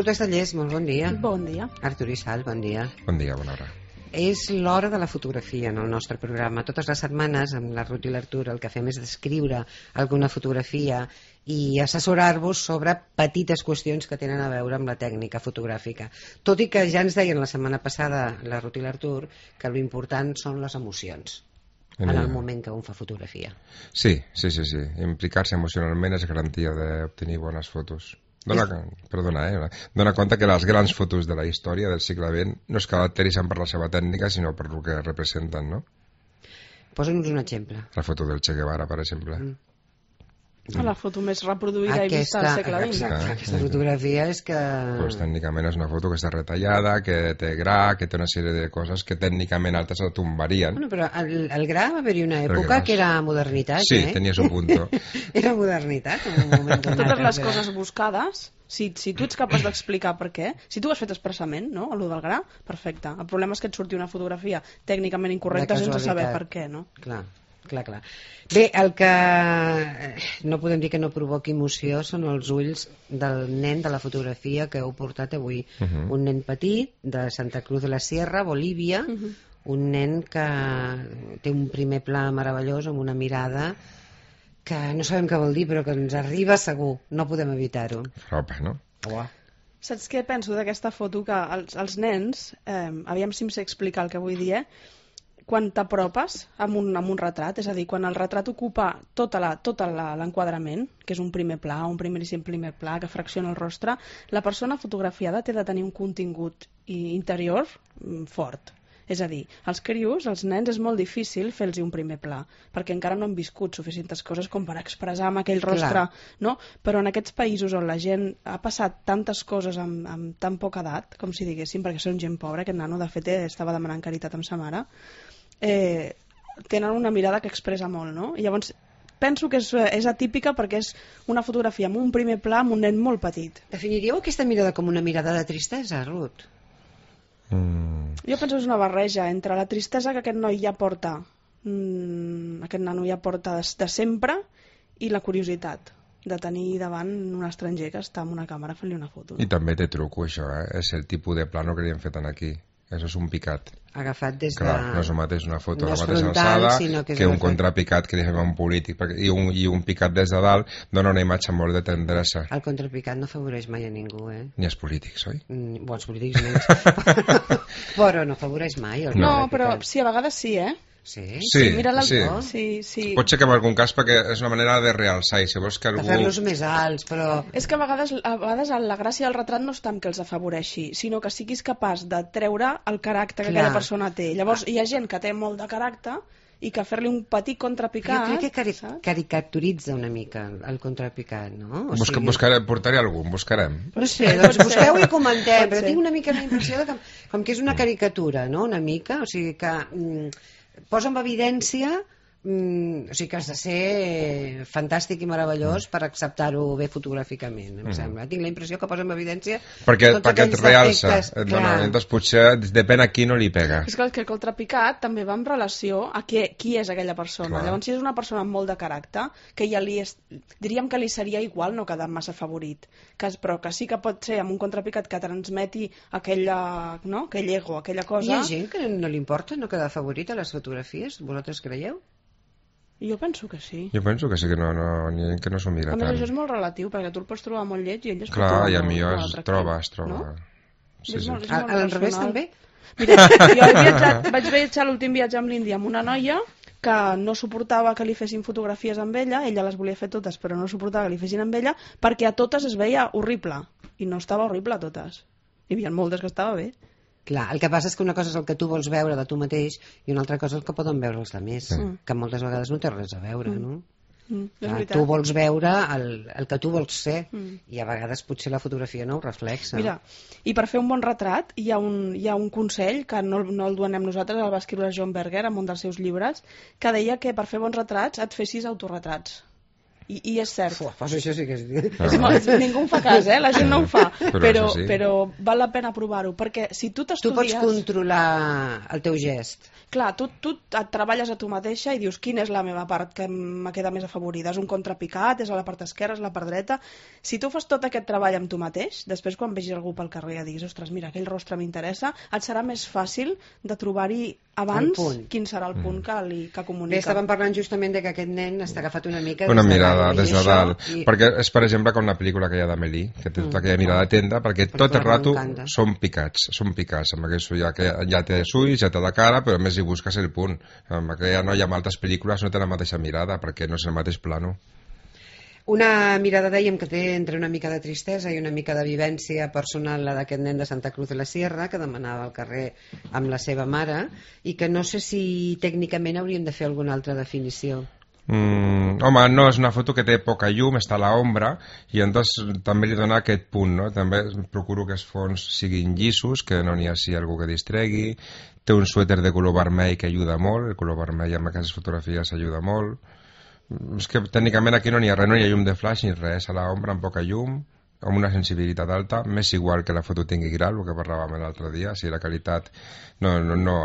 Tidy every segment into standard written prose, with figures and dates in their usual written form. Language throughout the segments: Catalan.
Ruth Estallés, molt bon dia. Bon dia. Artur Isal, bon dia. Bon dia, bona hora. És l'hora de la fotografia en el nostre programa. Totes les setmanes, amb la Ruth i l'Artur, el que fem és descriure alguna fotografia i assessorar-vos sobre petites qüestions que tenen a veure amb la tècnica fotogràfica. Tot i que ja ens deien la setmana passada la Ruth i l'Artur que l'important són les emocions en el moment que un fa fotografia. Sí. Implicar-se emocionalment és garantia d'obtenir bones fotos. Dona compte que les grans fotos de la història del segle XX no es caracteritzen per la seva tècnica, sinó per el que representen, no? Posa'ns un exemple. La foto del Che Guevara, per exemple. La foto més reproduïda i vista al segle XX. Aquesta fotografia és que... Pues, tècnicament és una foto que està retallada, que té gra, que té una sèrie de coses que tècnicament altres la tombarien. Bueno, però el gra va haver-hi una època que era modernitat, sí, tenia su punto. Era modernitat en un moment donat. Totes les coses buscades, si tu ets capaç d'explicar per què, si tu ho has fet expressament, no?, allò del gra, perfecte. El problema és que et surti una fotografia tècnicament incorrecta sense saber per què, no? Clar. Bé, el que no podem dir que no provoqui emoció són els ulls del nen de la fotografia que heu portat avui. Un nen petit de Santa Cruz de la Sierra, Bolívia, un nen que té un primer pla meravellós amb una mirada que no sabem què vol dir però que ens arriba segur, no podem evitar-ho. Opa, no? Saps què penso d'aquesta foto? Que els nens, aviam si em sé explicar el que vull dir, quan t'apropes amb un retrat, és a dir, quan el retrat ocupa tot l'enquadrament, que és un primer pla, un primeríssim primer pla que fracciona el rostre, la persona fotografiada té de tenir un contingut interior fort. És a dir, els crios, els nens, és molt difícil fer-los un primer pla, perquè encara no han viscut suficients coses com per expressar amb aquell rostre, no? Però en aquests països on la gent ha passat tantes coses amb tan poca edat, com si diguéssim, perquè són gent pobra, aquest nano de fet estava demanant caritat amb sa mare, tenen una mirada que expressa molt, no? I llavors penso que és atípica perquè és una fotografia amb un primer pla amb un nen molt petit. Definiríeu aquesta mirada com una mirada de tristesa, Ruth? Jo penso que és una barreja entre la tristesa que aquest noi ja porta, aquest nano ja porta de sempre, i la curiositat de tenir davant un estranger que està amb una càmera fent-li una foto. I també té truco, això, És el tipus de plano que li hem fet aquí. Això és un picat. Agafat des de... Clar, no és el mateix una foto no a la mateixa frontal, alçada que un contrapicat que li fem a un polític, i un picat des de dalt dona una imatge molt de tendresa. El contrapicat no afavoreix mai a ningú, Ni els polítics, oi? Bon, els polítics menys. Però no afavoreix mai. No, però sí, a vegades sí, Sí? Mira l'altre. Sí. Pot ser que en algun cas perquè és una manera de realçar, i si vols que algú... De fer-los més alts, però... És que a vegades la gràcia del retrat no està en que els afavoreixi, sinó que siguis capaç de treure el caràcter que aquella persona té. Llavors hi ha gent que té molt de caràcter i que fer-li un petit contrapicat... Jo crec que caricaturitza una mica el contrapicat, no? Portaré algun, buscarem. No sé, doncs busqueu i comentem, però tinc una mica la impressió de que, com que és una caricatura, no?, una mica, o sigui que... posa en evidència, o sigui que has de ser fantàstic i meravellós per acceptar-ho bé fotogràficament, em sembla. Tinc la impressió que posa en evidència perquè et realça, doncs potser depèn a qui no li pega. És que el contrapicat també va en relació a qui és aquella persona. Llavors, si és una persona amb molt de caràcter, que ja diríem que li seria igual no quedar massa favorit, però que sí que pot ser amb un contrapicat que transmeti aquell ego, aquella cosa. Hi ha gent que no li importa no quedar favorit a les fotografies? Vosaltres creieu? Jo penso que sí. Jo penso que sí, que no s'ho mira tant. A més, això és molt relatiu, perquè tu el pots trobar molt lleig i ell es pot trobar molt i a mi es troba. No? Sí. Al revés també? Mira, jo vaig viatjar l'últim viatge amb l'Índia amb una noia que no suportava que li fessin fotografies amb ella les volia fer totes, però no suportava que li fessin amb ella perquè a totes es veia horrible, i no estava horrible a totes. Hi havia moltes que estava bé. Clar, el que passa és que una cosa és el que tu vols veure de tu mateix i una altra cosa és el que poden veure els altres, que moltes vegades no té res a veure, no? Tu vols veure el que tu vols ser i a vegades potser la fotografia no ho reflexa. Mira, i per fer un bon retrat hi ha un consell que no el donem nosaltres, el va escriure John Berger en un dels seus llibres, que deia que per fer bons retrats et fessis autorretrats. I és cert. Pues això sí que és... Ningú en fa cas, la gent no ho fa, Però però val la pena provar-ho, perquè si tu Tu t'estudies... pots controlar el teu gest. Clar, tu et treballes a tu mateixa i dius quina és la meva part que me queda més afavorida. És un contrapicat, és a la part esquerra, és a la part dreta. Si tu fas tot aquest treball amb tu mateix, després quan vegis algú pel carrer i diguis, ostres, mira, aquell rostre m'interessa, et serà més fàcil de trobar-hi abans quin serà el punt que comunica. Bé, estàvem parlant justament de que aquest nen està agafat una mica... Una mirada des de dalt. Perquè és, per exemple, com la pel·lícula aquella d'Amélie, que té tota aquella mirada atenta, perquè tot el rato són picats. Amb aquest ull, ja té els ulls, ja té la cara, però a més hi busques el punt. Amb aquella noia amb altres pel·lícules no té la mateixa mirada, perquè no és el mateix plano. Una mirada, dèiem, que té entre una mica de tristesa i una mica de vivència personal, la d'aquest nen de Santa Cruz de la Sierra, que demanava al carrer amb la seva mare, i que no sé si tècnicament hauríem de fer alguna altra definició. Home, no, és una foto que té poca llum, està a l'ombra, i llavors també li dona aquest punt, no? També procuro que els fons siguin llisos, que no n'hi hagi algú que distregui. Té un suèter de color vermell que ajuda molt, el color vermell amb aquestes fotografies ajuda molt. És que tècnicament aquí no n'hi ha res, no hi ha llum de flash ni res, a l'ombra amb poca llum, amb una sensibilitat alta, m'és igual que la foto tingui gra, el que parlàvem l'altre dia, si la qualitat... No,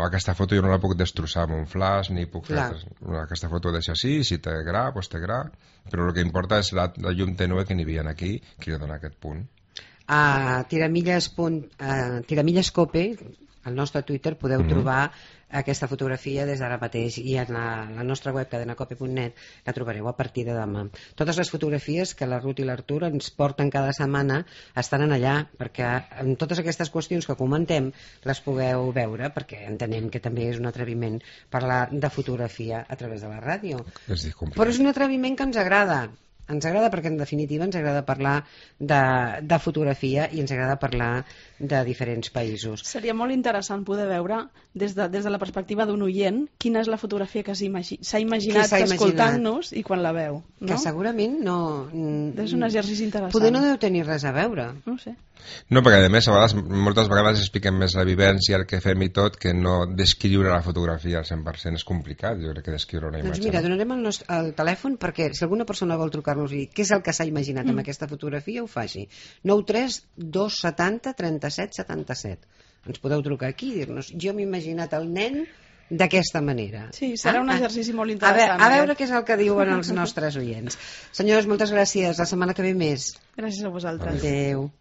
aquesta foto jo no la puc destrossar amb un flash, ni puc fer... Aquesta foto deixa així, si té gra, doncs té gra, però el que importa és la llum tènue que n'hi havia aquí, que li dona aquest punt. A Tiramilles Cope, al nostre Twitter, podeu trobar aquesta fotografia des d'ara mateix, i en la nostra web cadenacope.net la trobareu a partir de demà. Totes les fotografies que la Ruth i l'Artur ens porten cada setmana estan allà, perquè en totes aquestes qüestions que comentem les pugueu veure, perquè entenem que també és un atreviment parlar de fotografia a través de la ràdio. Però és un atreviment que ens agrada perquè en definitiva ens agrada parlar de fotografia i ens agrada parlar de diferents països. Seria molt interessant poder veure des de la perspectiva d'un oient quina és la fotografia que s'ha imaginat escoltant-nos i quan la veu, no? Que segurament no... És un exercici interessant. Poder no deu tenir res a veure. No ho sé. No, perquè a més moltes vegades expliquem més la vivència, el que fem i tot, que no descriure la fotografia al 100%. És complicat, jo crec, que descriure una imatge. Doncs mira, donarem el telèfon perquè si alguna persona vol trucar-nos i què és el que s'ha imaginat amb aquesta fotografia, ho faci. 93 270 37 77. Ens podeu trucar aquí i dir-nos, jo m'he imaginat el nen d'aquesta manera. Sí, serà un exercici molt interessant. A veure què és el que diuen els nostres oients. Senyors, moltes gràcies. La setmana que ve més. Gràcies a vosaltres. Adéu.